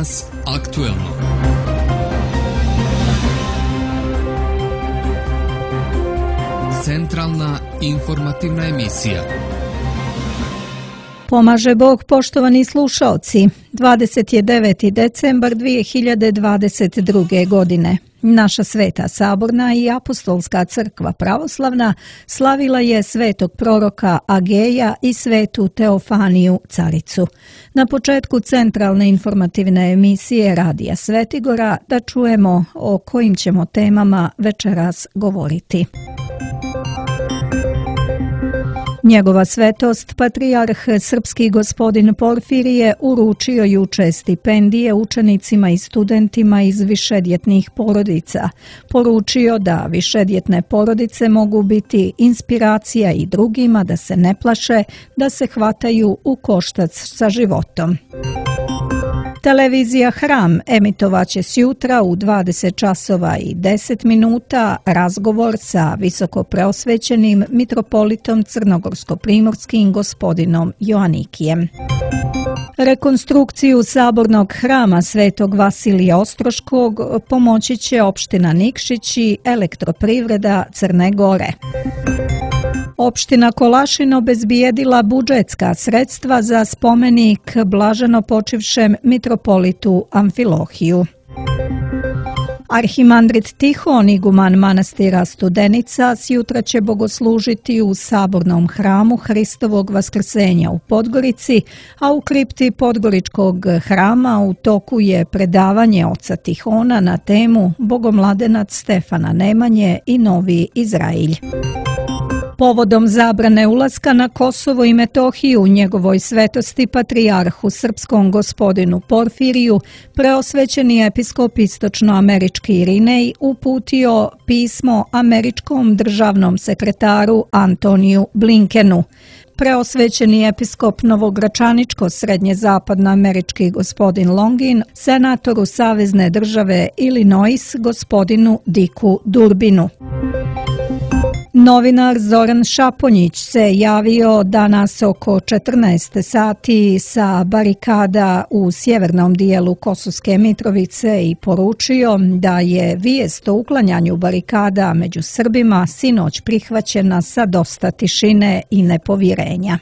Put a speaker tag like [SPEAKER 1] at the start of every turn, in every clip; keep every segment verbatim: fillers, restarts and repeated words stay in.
[SPEAKER 1] Danas aktuelno. Centralna informativna emisija.
[SPEAKER 2] Pomaže Bog, poštovani slušaoci. dvadeset deveti decembar dvije hiljade dvadeset druge. godine. Naša Sveta Saborna i Apostolska crkva pravoslavna slavila je svetog proroka Ageja i svetu Teofaniju caricu. Na početku centralne informativne emisije Radija Svetigora da čujemo o kojim ćemo temama večeras govoriti. Njegova svetost, patrijarh srpski gospodin Porfirije, uručio juče stipendije učenicima i studentima iz višedjetnih porodica. Poručio da višedjetne porodice mogu biti inspiracija i drugima da se ne plaše, da se hvataju u koštac sa životom. Televizija Hram emitovaće sjutra u dvadeset časova i deset minuta razgovor sa visokopreosvećenim mitropolitom crnogorsko-primorskim gospodinom Joanikijem. Rekonstrukciju sabornog hrama Svetog Vasilija Ostroškog pomoći će opština Nikšić i Elektroprivreda Crne Gore. Opština Kolašin obezbijedila budžetska sredstva za spomenik blaženo počivšem mitropolitu Amfilohiju. Arhimandrit Tihon, iguman manastira Studenica, sjutra će bogoslužiti u sabornom hramu Hristovog vaskrsenja u Podgorici, a u kripti Podgoričkog hrama u toku je predavanje oca Tihona na temu Bogomladenac Stefana Nemanje i Novi Izrailj. Povodom zabrane ulaska na Kosovo i Metohiju njegovoj svetosti patrijarhu srpskom gospodinu Porfiriju, preosvećeni episkop istočnoamerički Irinej uputio pismo američkom državnom sekretaru Antoniju Blinkenu. Preosvećeni episkop novogračaničko-srednje-zapadnoamerički gospodin Longin, senatoru savezne države Illinois gospodinu Dicku Durbinu. Novinar Zoran Šaponjić se javio danas oko četrnaest sati sa barikada u sjevernom dijelu Kosovske Mitrovice i poručio da je vijest o uklanjanju barikada među Srbima sinoć prihvaćena sa dosta tišine i nepovjerenja.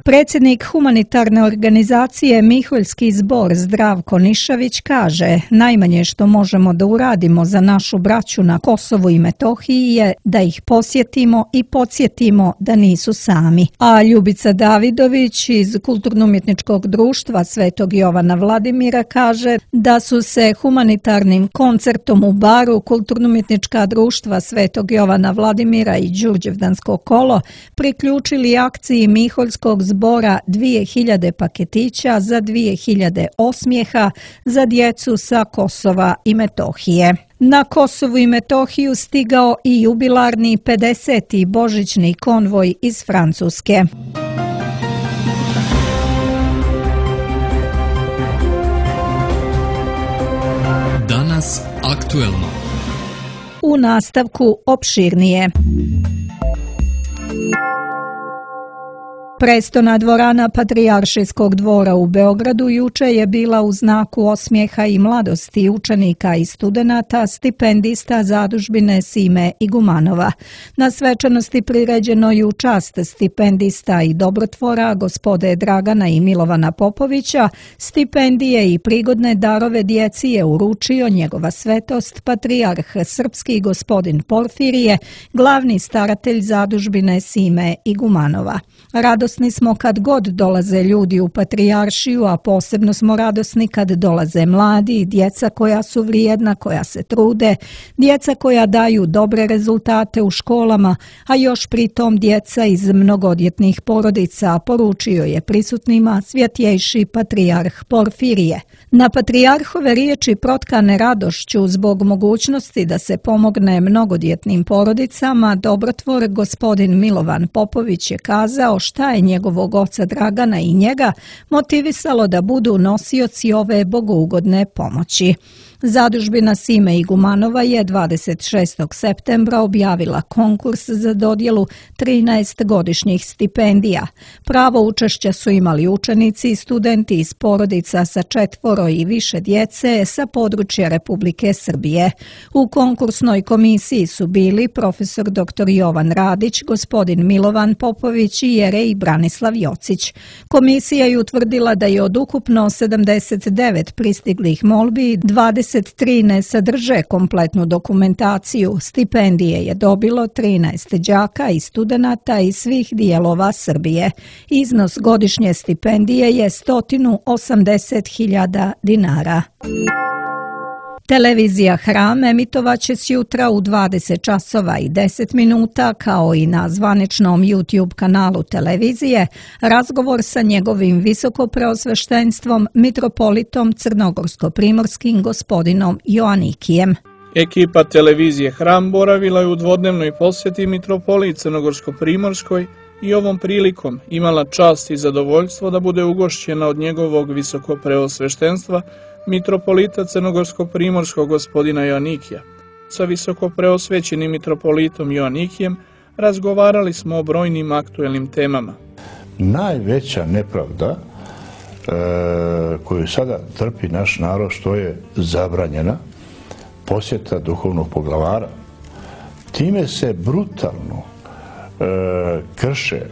[SPEAKER 2] Predsjednik humanitarne organizacije Miholjski zbor Zdravko Nišavić kaže: najmanje što možemo da uradimo za našu braću na Kosovu i Metohiji je da ih posjetimo i podsjetimo da nisu sami. A Ljubica Davidović iz Kulturno-umjetničkog društva Svetog Jovana Vladimira kaže da su se humanitarnim koncertom u baru Kulturno-umjetnička društva Svetog Jovana Vladimira i Đurđevdansko kolo priključili akciji Miholjskog zbora dvije hiljade paketića za dvije hiljade osmijeha za djecu sa Kosova i Metohije. Na Kosovu i Metohiju stigao i jubilarni pedeseti božićni konvoj iz Francuske.
[SPEAKER 1] Danas aktuelno.
[SPEAKER 2] U nastavku opširnije. Prestona dvorana Patrijaršijskog dvora u Beogradu juče je bila u znaku osmijeha i mladosti učenika i studenata, stipendista zadužbine Sime Igumanova. Na svečanosti priređeno i u čast stipendista i dobrotvora gospode Dragana i Milovana Popovića, stipendije i prigodne darove djeci je uručio njegova svetost patrijarh srpski gospodin Porfirije, glavni staratelj zadužbine Sime Igumanova. Radosni smo kad god dolaze ljudi u patrijaršiju, a posebno smo radosni kad dolaze mladi, djeca koja su vrijedna, koja se trude, djeca koja daju dobre rezultate u školama, a još pritom djeca iz mnogodjetnih porodica, poručio je prisutnima svjetjejši patrijarh Porfirije. Na patrijarhove riječi protkane radošću zbog mogućnosti da se pomogne mnogodjetnim porodicama, dobrotvor gospodin Milovan Popović je kazao šta je njegovog oca Dragana i njega motivisalo da budu nosioci ove bogougodne pomoći. Zadužbina Sime Igumanova je dvadeset šestog septembra objavila konkurs za dodjelu trinaest godišnjih stipendija. Pravo učešća su imali učenici i studenti iz porodica sa četvoro i više djece sa područja Republike Srbije. U konkursnoj komisiji su bili profesor doktor Jovan Radić, gospodin Milovan Popović i Jerej Branislav Jocić. Komisija je utvrdila da je od ukupno sedamdeset devet pristiglih molbi dvadeset tri ne sadrže kompletnu dokumentaciju. Stipendije je dobilo trinaest đaka i studenata iz svih dijelova Srbije. Iznos godišnje stipendije je sto osamdeset hiljada dinara. Televizija Hram emitovaće sjutra u dvadeset časova i deset minuta, kao i na zvaničnom YouTube kanalu televizije, razgovor sa njegovim visokopreosveštenstvom mitropolitom crnogorsko-primorskim gospodinom Joanikijem.
[SPEAKER 3] Ekipa televizije Hram boravila je u dvodnevnoj posjeti mitropoliji crnogorsko-primorskoj i ovom prilikom imala čast i zadovoljstvo da bude ugošćena od njegovog visokopreosveštenstva mitropolita crnogorsko-primorskog gospodina Joanikija. Sa visokopreosvećenim mitropolitom Joanikijem razgovarali smo o brojnim aktuelnim temama.
[SPEAKER 4] Najveća nepravda e, koju sada trpi naš narod, što je zabranjena posjeta duhovnog poglavara. Time se brutalno e, krše e,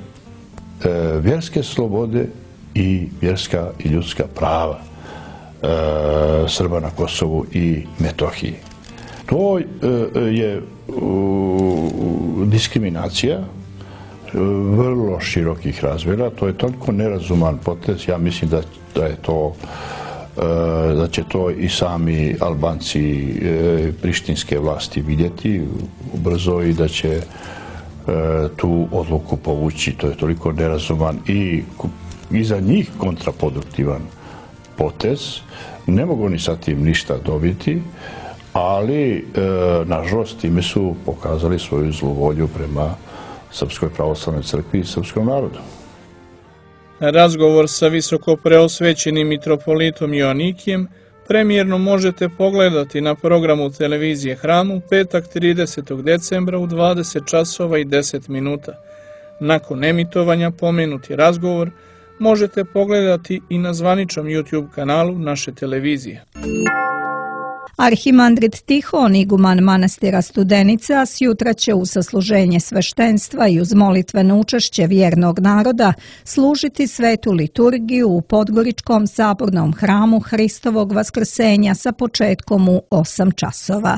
[SPEAKER 4] vjerske slobode i vjerska i ljudska prava Srba na Kosovu i Metohiji. To je diskriminacija vrlo širokih razmjera. To je toliko nerazuman potez. Ja mislim da, da je to da će to i sami Albanci prištinske vlasti vidjeti ubrzo i da će tu odluku povući. To je toliko nerazuman i, i za njih kontraproduktivan potez. Ne mogu ni sa tim ništa dobiti, ali e, nažalost time su pokazali svoju zlu volju prema Srpskoj pravoslavnoj crkvi i srpskom narodu.
[SPEAKER 3] Razgovor sa visokopreosvećenim mitropolitom Joanikijem premijerno možete pogledati na programu televizije Hram u petak tridesetog decembra u dvadeset časova i deset minuta. Nakon emitovanja pomenuti razgovor možete pogledati i na zvaničnom YouTube kanalu naše televizije.
[SPEAKER 2] Arhimandrit Tihon, iguman manastira Studenica, sjutra će u sasluženje sveštenstva i uz molitveno učešće vjernog naroda služiti svetu liturgiju u Podgoričkom sabornom hramu Hristovog vaskrsenja sa početkom u osam časova.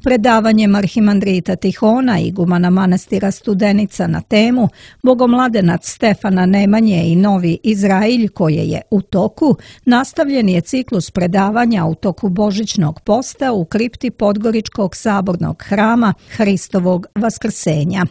[SPEAKER 2] Predavanjem arhimandrita Tihona, igumana manastira Studenica na temu Bogomladenac Stefana Nemanje i Novi Izrailj koje je u toku, nastavljen je ciklus predavanja u toku božićnog posta u kripti Podgoričkog sabornog hrama Hristovog vaskrsenja.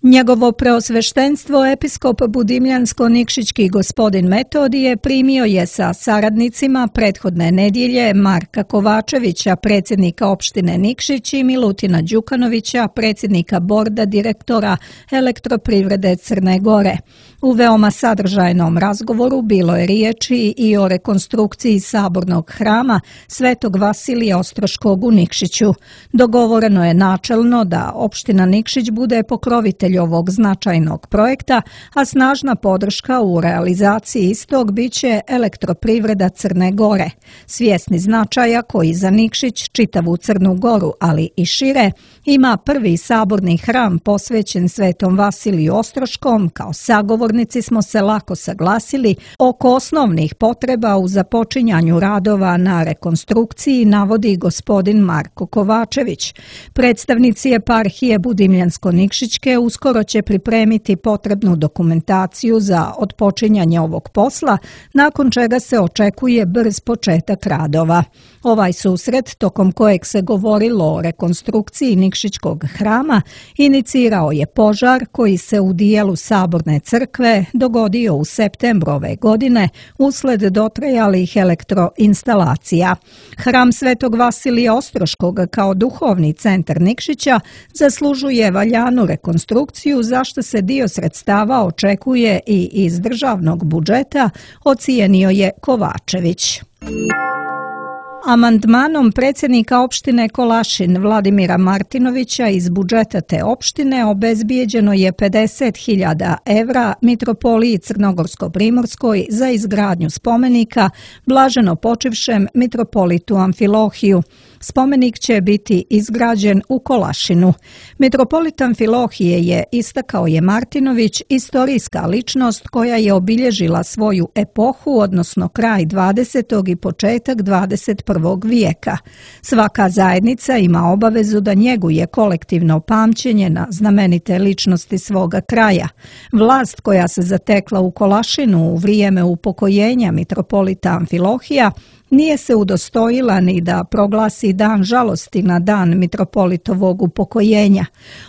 [SPEAKER 2] Njegovo preosveštenstvo episkop Budimljansko-Nikšićki gospodin Metodije primio je sa saradnicima prethodne nedjelje Marka Kovačevića, predsjednika opštine Nikšić, i Milutina Đukanovića, predsjednika borda direktora Elektroprivrede Crne Gore. U veoma sadržajnom razgovoru bilo je riječi i o rekonstrukciji sabornog hrama Svetog Vasilija Ostroškog u Nikšiću. Dogovoreno je načelno da opština Nikšić bude pokrovitelj ovog značajnog projekta, a snažna podrška u realizaciji istog biće Elektroprivreda Crne Gore. Svjesni značaja koji za Nikšić, čitavu Crnu Goru, ali i šire, ima prvi saborni hram posvećen Svetom Vasiliju Ostroškom, kao sagovornici smo se lako saglasili oko osnovnih potreba u započinjanju radova na rekonstrukciji, navodi gospodin Marko Kovačević. Predstavnici eparhije Budimljansko-Nikšićke uskoro će pripremiti potrebnu dokumentaciju za otpočinjanje ovog posla, nakon čega se očekuje brz početak radova. Ovaj susret, tokom kojeg se govorilo o rekonstrukciji Nikšićkog hrama, inicirao je požar koji se u dijelu saborne crkve dogodio u septembru ove godine usled dotrajalih elektroinstalacija. Hram Svetog Vasilija Ostroškog kao duhovni centar Nikšića zaslužuje valjanu rekonstrukciju, za što se dio sredstava očekuje i iz državnog budžeta, ocijenio je Kovačević. Amandmanom predsjednika opštine Kolašin Vladimira Martinovića iz budžeta te opštine obezbijeđeno je pedeset hiljada evra Mitropoliji Crnogorsko-Primorskoj za izgradnju spomenika blaženo počivšem mitropolitu Amfilohiju. Spomenik će biti izgrađen u Kolašinu. Mitropolit Amfilohije je, istakao je Martinović, istorijska ličnost koja je obilježila svoju epohu, odnosno kraj dvadesetog i početak dvadeset prvog vijeka. Svaka zajednica ima obavezu da njeguje kolektivno pamćenje na znamenite ličnosti svoga kraja. Vlast koja se zatekla u Kolašinu u vrijeme upokojenja mitropolita Amfilohija nije se udostojila ni da proglasi dan žalosti na dan mitropolitovog upokojenja.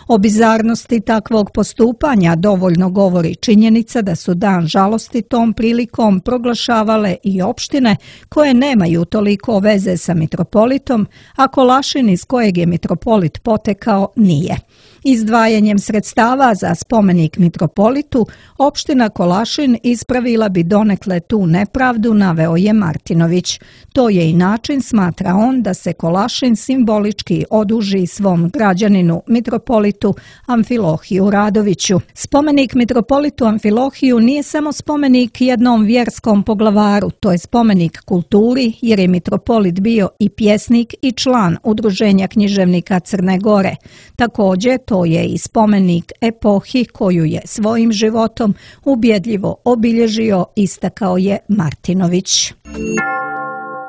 [SPEAKER 2] O bizarnosti takvog postupanja dovoljno govori činjenica da su dan žalosti tom prilikom proglašavale i opštine koje nemaju toliko veze sa mitropolitom, a Kolašin iz kojeg je mitropolit potekao nije. Izdvajanjem sredstava za spomenik mitropolitu, opština Kolašin ispravila bi donekle tu nepravdu, naveo je Martinović. To je i način, smatra on, da se Kolašin simbolički oduži svom građaninu mitropolitu Amfilohiju Radoviću. Spomenik mitropolitu Amfilohiju nije samo spomenik jednom vjerskom poglavaru, to je spomenik kulturi jer je mitropolit bio i pjesnik i član Udruženja književnika Crne Gore. Također, to je i spomenik epohi koju je svojim životom ubjedljivo obilježio, istakao je Martinović.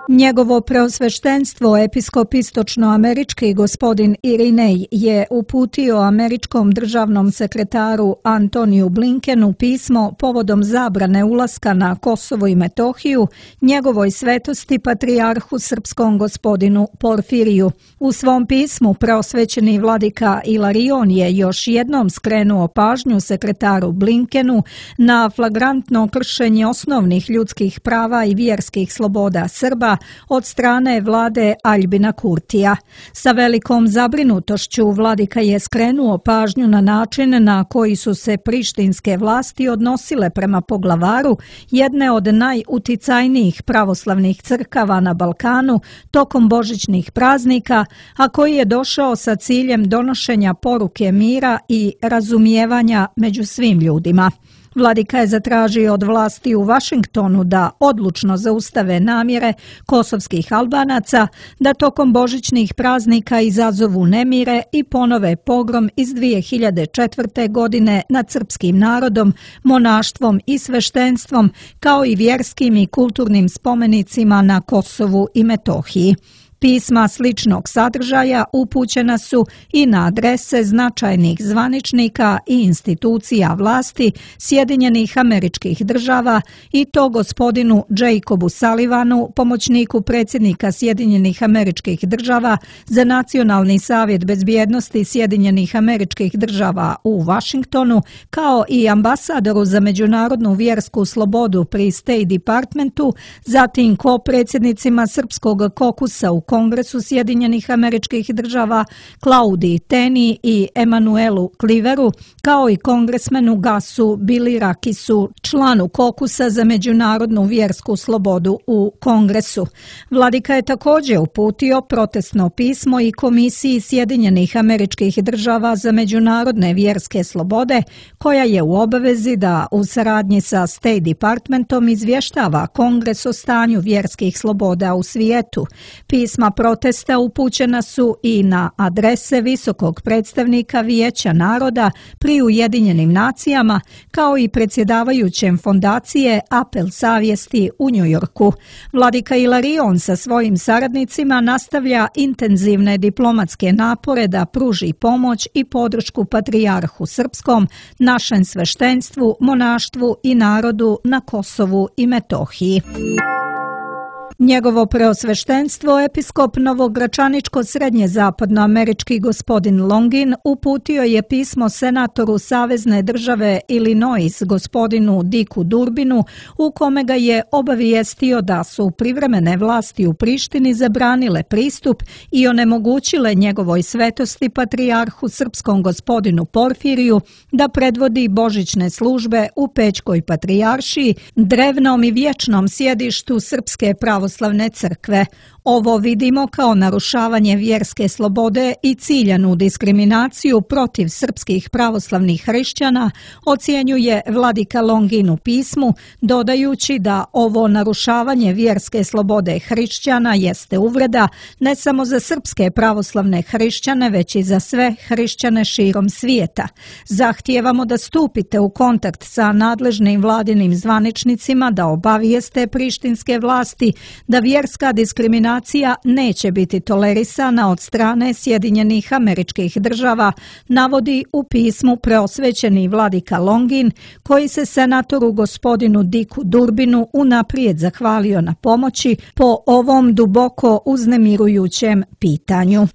[SPEAKER 2] Njegovo preosveštenstvo episkop istočnoamerički gospodin Irinej je uputio američkom državnom sekretaru Antoniju Blinkenu pismo povodom zabrane ulaska na Kosovo i Metohiju njegovoj svetosti patrijarhu srpskom gospodinu Porfiriju. U svom pismu preosvećeni vladika Ilarion je još jednom skrenuo pažnju sekretaru Blinkenu na flagrantno kršenje osnovnih ljudskih prava i vjerskih sloboda Srba od strane vlade Aljbina Kurtija. Sa velikom zabrinutošću vladika je skrenuo pažnju na način na koji su se prištinske vlasti odnosile prema poglavaru jedne od najuticajnijih pravoslavnih crkava na Balkanu tokom božićnih praznika, a koji je došao sa ciljem donošenja poruke mira i razumijevanja među svim ljudima. Vladika je zatražio od vlasti u Vašingtonu da odlučno zaustave namjere kosovskih Albanaca da tokom božićnih praznika izazovu nemire i ponove pogrom iz dvije hiljade četvrte. godine nad srpskim narodom, monaštvom i sveštenstvom, kao i vjerskim i kulturnim spomenicima na Kosovu i Metohiji. Pisma sličnog sadržaja upućena su i na adrese značajnih zvaničnika i institucija vlasti Sjedinjenih Američkih Država i to gospodinu Jacobu Sullivanu, pomoćniku predsjednika Sjedinjenih Američkih Država za Nacionalni savjet bezbjednosti Sjedinjenih Američkih Država u Vašingtonu, kao i ambasadoru za međunarodnu vjersku slobodu pri State Departmentu, zatim ko-predsjednicima Srpskog kokusa u Kongresu Sjedinjenih Američkih Država Klaudiji Teni i Emanuelu Kliveru, kao i kongresmenu Gasu Bilirakisu, članu kokusa za međunarodnu vjersku slobodu u Kongresu. Vladika je također uputio protestno pismo i Komisiji Sjedinjenih Američkih Država za međunarodne vjerske slobode, koja je u obavezi da u saradnji sa State Departmentom izvještava Kongres o stanju vjerskih sloboda u svijetu. Pisma protesta upućena su i na adrese visokog predstavnika Vijeća naroda pri Ujedinjenim nacijama, kao i predsjedavajućem fondacije Apel savjesti u Njujorku. Vladika Ilarion sa svojim saradnicima nastavlja intenzivne diplomatske napore da pruži pomoć i podršku patrijarhu srpskom, našem sveštenstvu, monaštvu i narodu na Kosovu i Metohiji. Njegovo preosveštenstvo, episkop novogračaničko-srednje zapadnoamerički gospodin Longin, uputio je pismo senatoru Savezne države Illinois gospodinu Dicku Durbinu, u kome ga je obavijestio da su privremene vlasti u Prištini zabranile pristup i onemogućile njegovoj svetosti patrijarhu srpskom gospodinu Porfiriju da predvodi božićne službe u Pećkoj patrijaršiji, drevnom i vječnom sjedištu Srpske pravoslavne crkve. Ovo vidimo kao narušavanje vjerske slobode i ciljanu diskriminaciju protiv srpskih pravoslavnih hrišćana, ocjenjuje vladika Longin u pismu, dodajući da ovo narušavanje vjerske slobode hrišćana jeste uvreda ne samo za srpske pravoslavne hrišćane, već i za sve hrišćane širom svijeta. Zahtijevamo da stupite u kontakt sa nadležnim vladinim zvaničnicima, da obavijeste prištinske vlasti da vjerska diskriminacija neće biti tolerisana od strane Sjedinjenih Američkih Država, navodi u pismu preosvećeni vladika Longin, koji se senatoru gospodinu Dicku Durbinu unaprijed zahvalio na pomoći po ovom duboko uznemirujućem pitanju.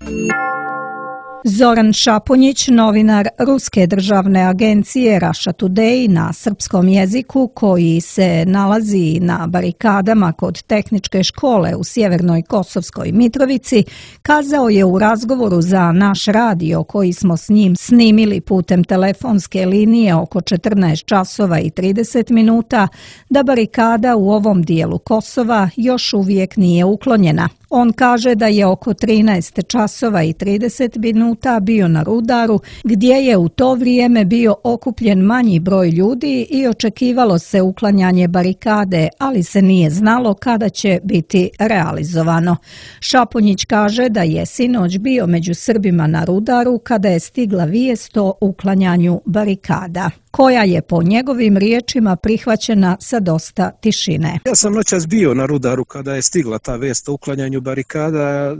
[SPEAKER 2] Zoran Šapunjić, novinar Ruske državne agencije Russia Today na srpskom jeziku, koji se nalazi na barikadama kod tehničke škole u sjevernoj Kosovskoj Mitrovici, kazao je u razgovoru za naš radio, koji smo s njim snimili putem telefonske linije oko četrnaest časova i trideset minuta, da barikada u ovom dijelu Kosova još uvijek nije uklonjena. On kaže da je oko trinaest časova i trideset minuta bio na Rudaru, gdje je u to vrijeme bio okupljen manji broj ljudi i očekivalo se uklanjanje barikade, ali se nije znalo kada će biti realizovano. Šapunjić kaže da je sinoć bio među Srbima na Rudaru kada je stigla vijest o uklanjanju barikada, koja je po njegovim riječima prihvaćena sa dosta tišine.
[SPEAKER 5] Ja sam noćas bio na Rudaru kada je stigla ta vest o uklanjanju barikada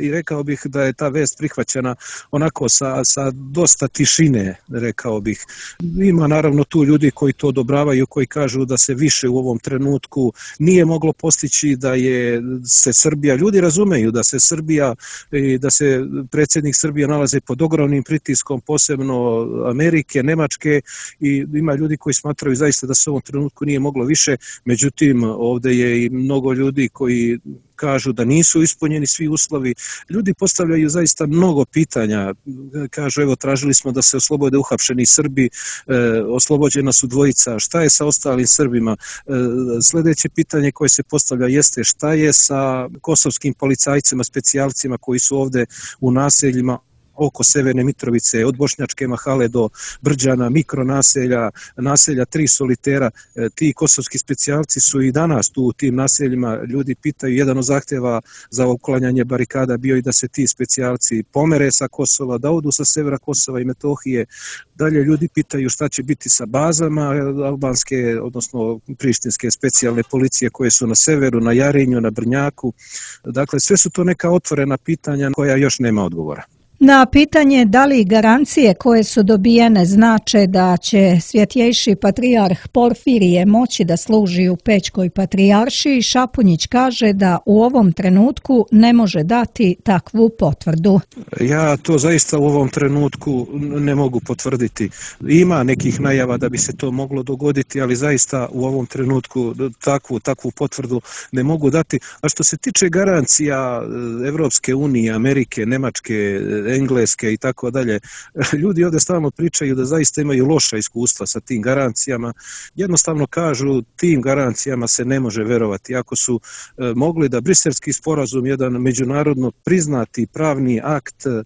[SPEAKER 5] i rekao bih da je ta vest prihvaćena onako sa, sa dosta tišine, rekao bih. Ima naravno tu ljudi koji to odobravaju, koji kažu da se više u ovom trenutku nije moglo postići, da je se Srbija, ljudi razumeju da se Srbija i da se predsjednik Srbije nalaze pod ogromnim pritiskom, posebno Amerike, Nemačke, i ima ljudi koji smatraju zaista da se u ovom trenutku nije moglo više, međutim ovdje je i mnogo ljudi koji kažu da nisu ispunjeni svi uslovi. Ljudi postavljaju zaista mnogo pitanja. Kažu, evo, tražili smo da se oslobode uhapšeni Srbi, e, oslobođena su dvojica. Šta je sa ostalim Srbima? E, sljedeće pitanje koje se postavlja jeste šta je sa kosovskim policajcima, specijalcima koji su ovdje u naseljima oko Severne Mitrovice, od Bošnjačke Mahale do Brđana, mikronaselja, naselja Tri Solitera. E, ti kosovski specijalci su i danas tu u tim naseljima. Ljudi pitaju, jedan od zahtjeva za uklanjanje barikada bio i da se ti specijalci pomere sa Kosova, da odu sa severa Kosova i Metohije. Dalje ljudi pitaju šta će biti sa bazama albanske, odnosno prištinske specijalne policije koje su na severu, na Jarinju, na Brnjaku. Dakle, sve su to neka otvorena pitanja koja još nema odgovora.
[SPEAKER 2] Na pitanje da li garancije koje su dobijene znače da će svjetjejši patrijarh Porfirije moći da služi u Pećkoj patrijaršiji, Šapunjić kaže da u ovom trenutku ne može dati takvu potvrdu.
[SPEAKER 5] Ja to zaista u ovom trenutku ne mogu potvrditi. Ima nekih najava da bi se to moglo dogoditi, ali zaista u ovom trenutku takvu, takvu potvrdu ne mogu dati. A što se tiče garancija Evropske unije, Amerike, Nemačke, Engleske i tako dalje, ljudi ovdje stalno pričaju da zaista imaju loša iskustva sa tim garancijama. Jednostavno kažu, tim garancijama se ne može verovati. Ako su e, mogli da Briselski sporazum, jedan međunarodno priznati pravni akt, e,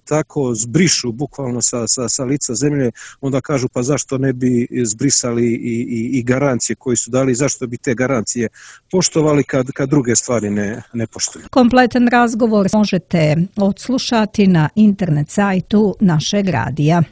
[SPEAKER 5] tako zbrišu bukvalno sa, sa, sa lica zemlje, onda kažu pa zašto ne bi zbrisali i, i, i garancije koje su dali, zašto bi te garancije poštovali kad, kad druge stvari ne, ne poštuju.
[SPEAKER 2] Kompletan razgovor možete odslušati na internet sajtu našeg radija.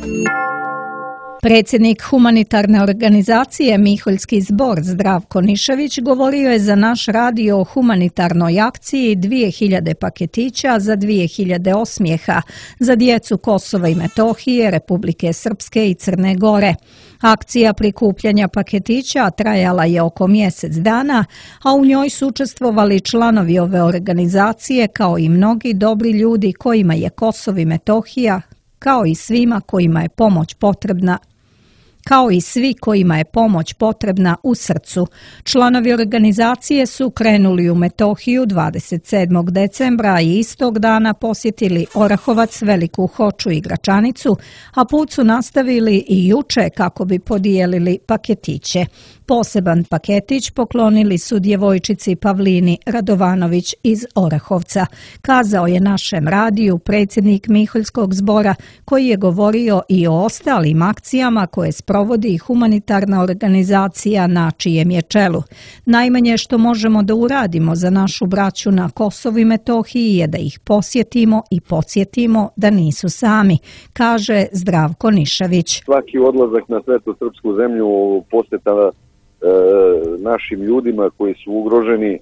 [SPEAKER 2] Predsjednik humanitarne organizacije Miholjski zbor Zdravko Nišević govorio je za naš radio o humanitarnoj akciji dvije hiljade paketića za dvije hiljade osmijeha za djecu Kosova i Metohije, Republike Srpske i Crne Gore. Akcija prikupljanja paketića trajala je oko mjesec dana, a u njoj su učestvovali članovi ove organizacije kao i mnogi dobri ljudi kojima je Kosovo i Metohija, kao i svima kojima je pomoć potrebna, kao i svi kojima je pomoć potrebna u srcu. Članovi organizacije su krenuli u Metohiju dvadeset sedmog decembra i istog dana posjetili Orahovac, Veliku Hoču i Gračanicu, a put su nastavili i juče kako bi podijelili paketiće. Poseban paketić poklonili su djevojčici Pavlini Radovanović iz Orahovca, kazao je našem radiju predsjednik Miholjskog zbora, koji je govorio i o ostalim akcijama koje sprovodi humanitarna organizacija na čijem je čelu. Najmanje što možemo da uradimo za našu braću na Kosovu i Metohiji je da ih posjetimo i podsjetimo da nisu sami, kaže Zdravko Nišavić.
[SPEAKER 6] Svaki odlazak na svetu srpsku zemlju posjeta našim ljudima koji su ugroženi,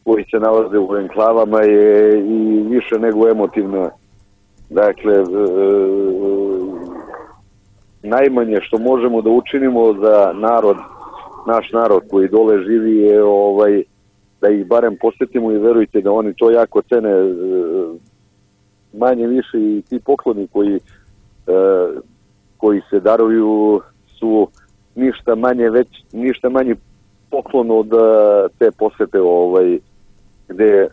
[SPEAKER 6] koji se nalaze u enklavama je i više nego emotivna. Dakle, e, najmanje što možemo da učinimo za narod, naš narod koji dole živi je ovaj, da ih barem posjetimo i verujte da oni to jako cene. E, manje više i ti pokloni koji, e, koji se daruju su ništa manje već ništa manji poklon od te posete ovaj gde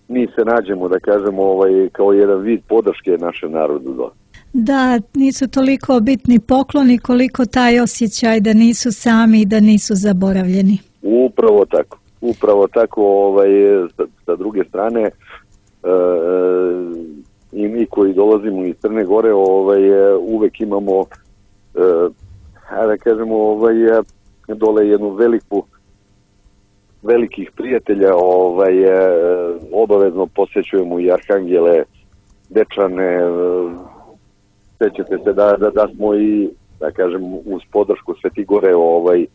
[SPEAKER 6] mi se nađemo da kažemo ovaj kao jedan vid podrške našem narodu.
[SPEAKER 2] Da, nisu toliko bitni pokloni koliko taj osjećaj da nisu sami i da nisu zaboravljeni.
[SPEAKER 6] Upravo tako. Upravo tako ovaj sa, sa druge strane e, i mi koji dolazimo iz Crne Gore ovaj uvek imamo e, da kažemo, ovaj, dole jednu veliku, velikih prijatelja, ovaj, obavezno posjećujemo i Arhangele, Dečane, sećate se da, da, da smo i, da kažem, uz podršku Sveti Gore, ovaj,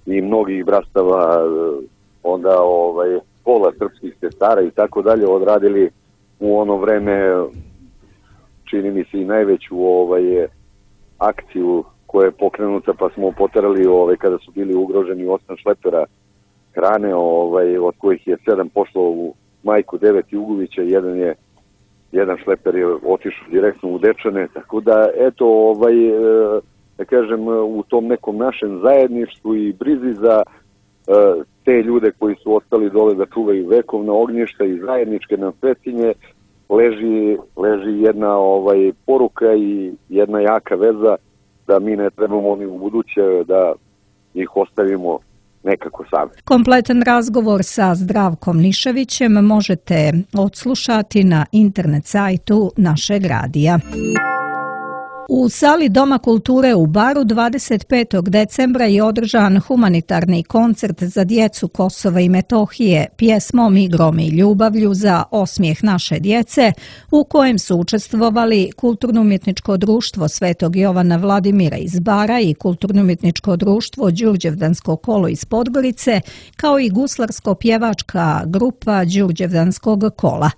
[SPEAKER 6] i mnogih brastava, onda, ovaj, pola srpskih sestara i tako dalje odradili u ono vreme, čini mi se i najveću, ovaj, akciju koja je pokrenuta, pa smo poterali ovaj, kada su bili ugroženi osam šlepera hrane, ovaj, od kojih je sedam pošlo u Majku, devet i Ugovića, jedan je jedan šleper je otišao direktno u Dečane, tako da eto ovaj da kažem u tom nekom našem zajedništvu i brizi za uh, te ljude koji su ostali dole da čuvaju vekovna ognjišta i zajedničke nam svetinje leži leži jedna ovaj poruka i jedna jaka veza da mi ne trebamo ni u buduće da ih ostavimo nekako sami.
[SPEAKER 2] Kompletan razgovor sa Zdravkom Nišavićem možete odslušati na internet sajtu našeg radija. U sali Doma kulture u Baru dvadeset petog decembra je održan humanitarni koncert za djecu Kosova i Metohije pjesmom, igrom i ljubavlju za osmijeh naše djece, u kojem su učestvovali Kulturno-umjetničko društvo Svetog Jovana Vladimira iz Bara i Kulturno-umjetničko društvo Đurđevdansko kolo iz Podgorice, kao i guslarsko-pjevačka grupa Đurđevdanskog kola.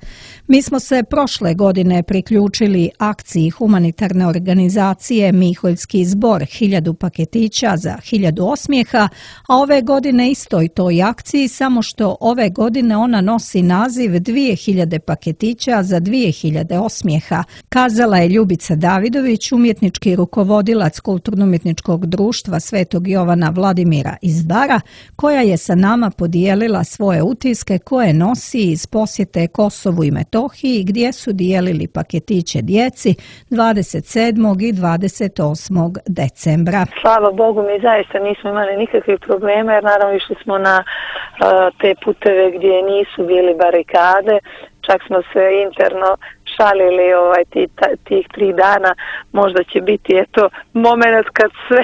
[SPEAKER 2] Mi smo se prošle godine priključili akciji humanitarne organizacije organizacije Miholjski zbor hiljadu paketića za hiljadu osmijeha, a ove godine istoj toj akciji, samo što ove godine ona nosi naziv dvije hiljade paketića za dvije hiljade osmijeha, kazala je Ljubica Davidović, umjetnički rukovodilac Kulturno-umjetničkog društva Svetog Jovana Vladimira iz Bara, koja je sa nama podijelila svoje utiske koje nosi iz posjete Kosovu i Metohiji, gdje su dijelili paketiće djeci dvadeset sedmog i dvadeset osmog decembra.
[SPEAKER 7] Slava Bogu, mi zaista nismo imali nikakvih problema, jer naravno išli smo na uh, te puteve gdje nisu bili barikade, čak smo se interno šalili ovaj, ti, ta, tih tri dana, možda će biti eto moment kad sve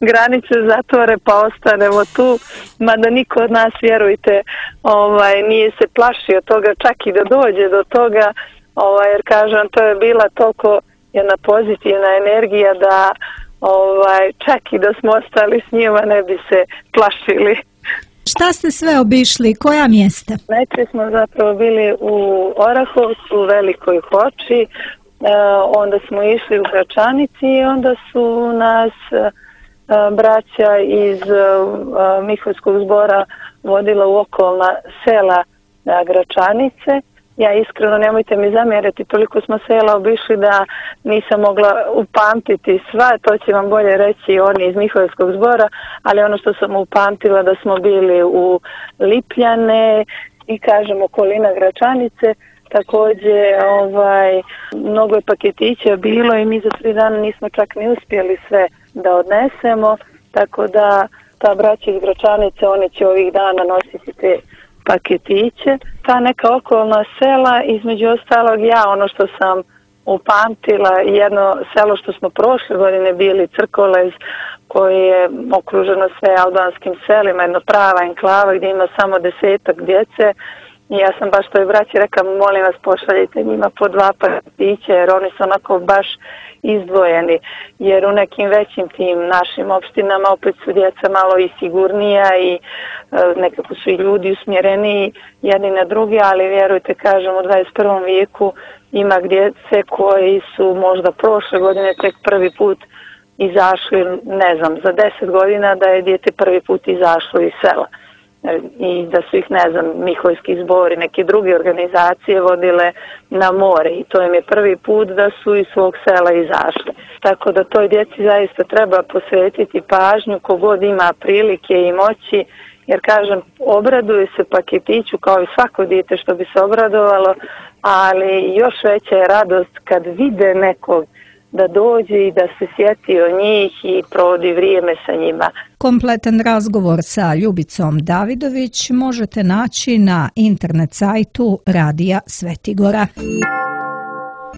[SPEAKER 7] granice zatvore pa ostanemo tu, mada niko od nas, vjerujte, ovaj, nije se plašio toga, čak i da dođe do toga, ovaj, jer kažem, to je bila toliko jedna pozitivna energija da ovaj, čak i da smo ostali s njima ne bi se plašili.
[SPEAKER 2] Šta ste sve obišli? Koja mjesta?
[SPEAKER 7] Najprije smo zapravo bili u Orahovcu, u Velikoj Hoči, e, onda smo išli u Gračanici i onda su nas e, braća iz e, Miholjskog zbora vodila u okolna sela e, Gračanice. Ja iskreno, nemojte mi zamjeriti, toliko smo sela obišli da nisam mogla upamtiti sva, to će vam bolje reći oni iz Miholjskog zbora, ali ono što sam upamtila da smo bili u Lipljane i kažem okolina Gračanice, također ovaj, mnogo je paketića bilo i mi za tri dana nismo čak ni uspjeli sve da odnesemo, tako da ta braća iz Gračanice, oni će ovih dana nositi te paketiće. Ta neka okolna sela, između ostalog ja, ono što sam upamtila, jedno selo što smo prošle godine bili, Crkolez, koji je okruženo sve albanskim selima, jedno prava enklava gdje ima samo desetak djece. I ja sam baš toj braći rekla, molim vas pošaljite njima po dva paketića, jer oni su onako baš izdvojeni, jer u nekim većim tim našim opštinama opet su djeca malo i sigurnija i e, nekako su i ljudi usmjereniji jedni na drugi, ali vjerujte, kažem, u dvadeset prvom vijeku ima djece koji su možda prošle godine tek prvi put izašli, ne znam, za deset godina da je dijete prvi put izašlo iz sela. I da su ih, ne znam, Miholjski zbor i neke druge organizacije vodile na more i to im je prvi put da su iz svog sela izašli. Tako da toj djeci zaista treba posvetiti pažnju kogod ima prilike i moći, jer kažem, obraduje se paketiću kao i svako dijete što bi se obradovalo, ali još veća je radost kad vide nekog da dođe i da se sjeti o njih i provodi vrijeme sa njima.
[SPEAKER 2] Kompletan razgovor sa Ljubicom Davidović možete naći na internet sajtu Radija Svetigora.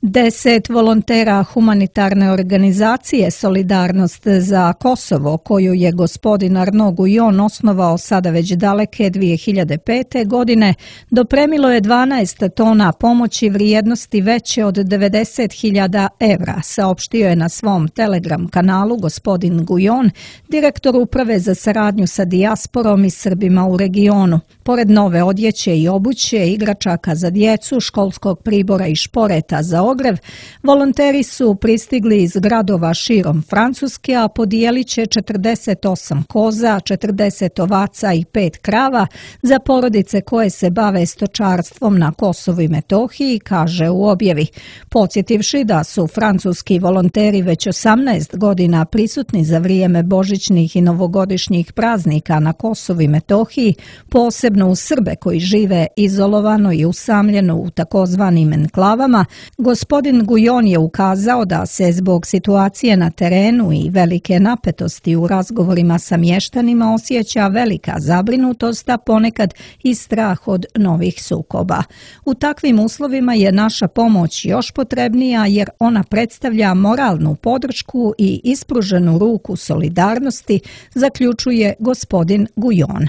[SPEAKER 2] Deset volontera humanitarne organizacije Solidarnost za Kosovo, koju je gospodin Arno Gujon osnovao sada već daleke dvije hiljade pete. godine, dopremilo je dvanaest tona pomoći vrijednosti veće od devedeset hiljada evra, saopštio je na svom Telegram kanalu gospodin Gujon, direktor uprave za saradnju sa dijasporom i Srbima u regionu. Pored nove odjeće i obuće, igračaka za djecu, školskog pribora i šporeta za ogrev, volonteri su pristigli iz gradova širom Francuske, a podijelit će četrdeset osam koza, četrdeset ovaca i pet krava za porodice koje se bave stočarstvom na Kosovu i Metohiji, kaže u objavi. Podsjetivši da su francuski volonteri već osamnaest godina prisutni za vrijeme božićnih i novogodišnjih praznika na Kosovu i Metohiji, posebno u Srbe koji žive izolovano i usamljeno u takozvanim enklavama, gospodin Gujon je ukazao da se zbog situacije na terenu i velike napetosti u razgovorima sa mještanima osjeća velika zabrinutost, a ponekad i strah od novih sukoba. U takvim uslovima je naša pomoć još potrebnija jer ona predstavlja moralnu podršku i ispruženu ruku solidarnosti, zaključuje gospodin Gujon.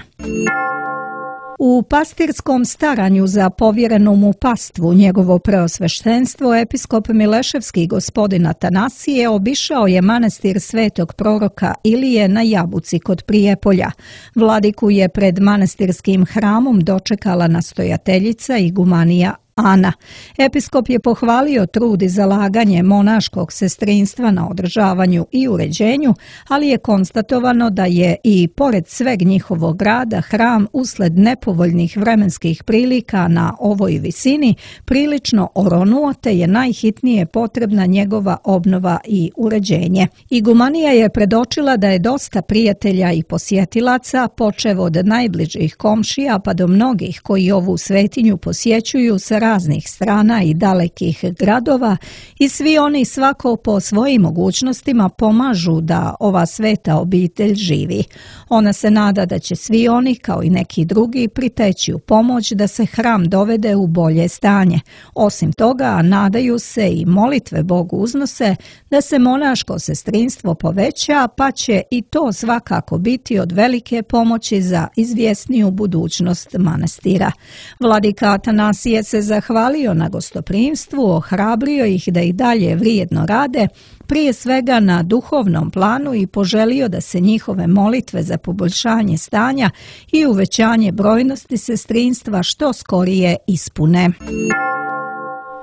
[SPEAKER 2] U pastirskom staranju za povjerenu mu pastvu njegovo preosveštenstvo episkop Mileševski gospodin Atanasije obišao je manastir svetog proroka Ilije na Jabuci kod Prijepolja. Vladiku je pred manastirskim hramom dočekala nastojateljica igumanija Ana. Episkop je pohvalio trud i zalaganje monaškog sestrinstva na održavanju i uređenju, ali je konstatovano da je i pored sveg njihovog rada hram usled nepovoljnih vremenskih prilika na ovoj visini prilično oronuo, te je najhitnije potrebna njegova obnova i uređenje. Igumanija je predočila da je dosta prijatelja i posjetilaca, počev od najbližih komšija pa do mnogih koji ovu svetinju posjećuju sa raznih strana i dalekih gradova, i svi oni svako po svojim mogućnostima pomažu da ova sveta obitelj živi. Ona se nada da će svi oni, kao i neki drugi, priteći u pomoć da se hram dovede u bolje stanje. Osim toga, nadaju se i molitve Bogu uznose da se monaško sestrinstvo poveća, pa će i to svakako biti od velike pomoći za izvjesniju budućnost manastira. Vladika Atanasije se zahvalio na gostoprimstvu, ohrabrio ih da i dalje vrijedno rade, prije svega na duhovnom planu, i poželio da se njihove molitve za poboljšanje stanja i uvećanje brojnosti sestrinstva što skorije ispune.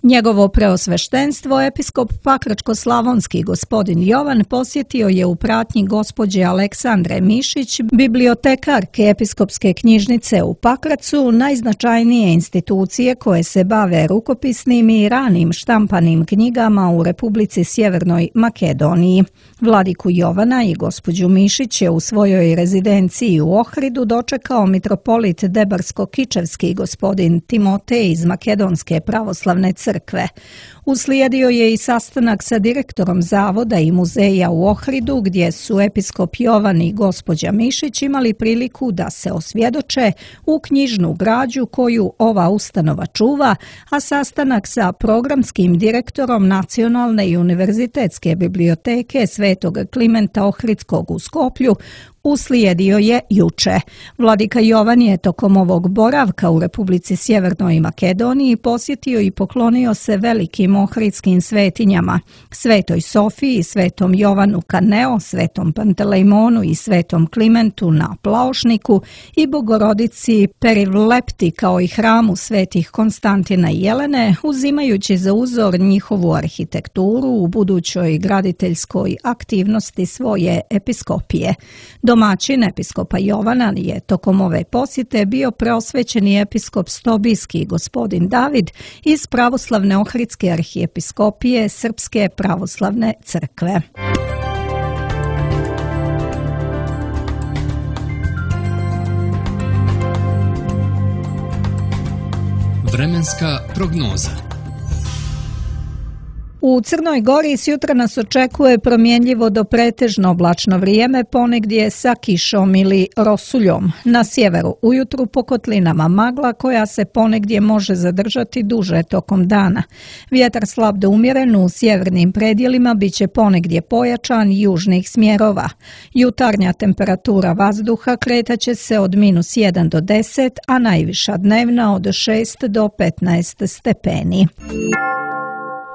[SPEAKER 2] Njegovo preosveštenstvo, episkop Pakračko-slavonski gospodin Jovan, posjetio je u pratnji gospođe Aleksandre Mišić, bibliotekarke episkopske knjižnice u Pakracu, najznačajnije institucije koje se bave rukopisnim i ranim štampanim knjigama u Republici Sjevernoj Makedoniji. Vladiku Jovana i gospođu Mišić je u svojoj rezidenciji u Ohridu dočekao mitropolit Debarsko-Kičevski gospodin Timotej iz Makedonske pravoslavne crkve. Uslijedio je i sastanak sa direktorom zavoda i muzeja u Ohridu, gdje su episkop Jovan i gospođa Mišić imali priliku da se osvjedoče u knjižnu građu koju ova ustanova čuva, a sastanak sa programskim direktorom Nacionalne i univerzitetske biblioteke Svetog Klimenta Ohridskog u Skoplju uslijedio je juče. Vladika Jovan je tokom ovog boravka u Republici Sjevernoj Makedoniji posjetio i poklonio se velikim ohridskim svetinjama, Svetoj Sofiji, Svetom Jovanu Kaneo, Svetom Pantelejmonu i Svetom Klimentu na Plaošniku i Bogorodici Perivlepti kao i hramu svetih Konstantina i Jelene, uzimajući za uzor njihovu arhitekturu u budućoj graditeljskoj aktivnosti svoje episkopije. Domaćin episkopa Jovana je tokom ove posjete bio preosvećeni episkop Stobijski gospodin David iz pravoslavne ohridske arhijepiskopije Srpske pravoslavne crkve.
[SPEAKER 1] Vremenska prognoza.
[SPEAKER 2] U Crnoj Gori s jutra nas očekuje promjenljivo do pretežno oblačno vrijeme, ponegdje sa kišom ili rosuljom. Na sjeveru ujutru po kotlinama magla koja se ponegdje može zadržati duže tokom dana. Vjetar slab do umjeren u sjevernim predjelima bit će ponegdje pojačan južnih smjerova. Jutarnja temperatura vazduha kretaće se od minus jedan do deset, a najviša dnevna od šest do petnaest stepeni.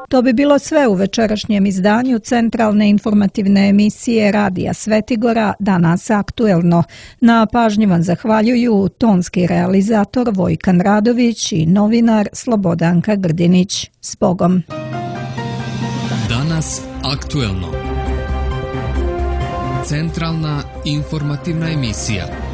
[SPEAKER 2] To bi bilo sve u večerašnjem izdanju centralne informativne emisije Radija Svetigora, Danas aktuelno. Na pažnji vam zahvaljuju tonski realizator Vojkan Radović i novinar Slobodanka Grdinić. S Bogom!
[SPEAKER 1] Danas aktuelno. Centralna informativna emisija.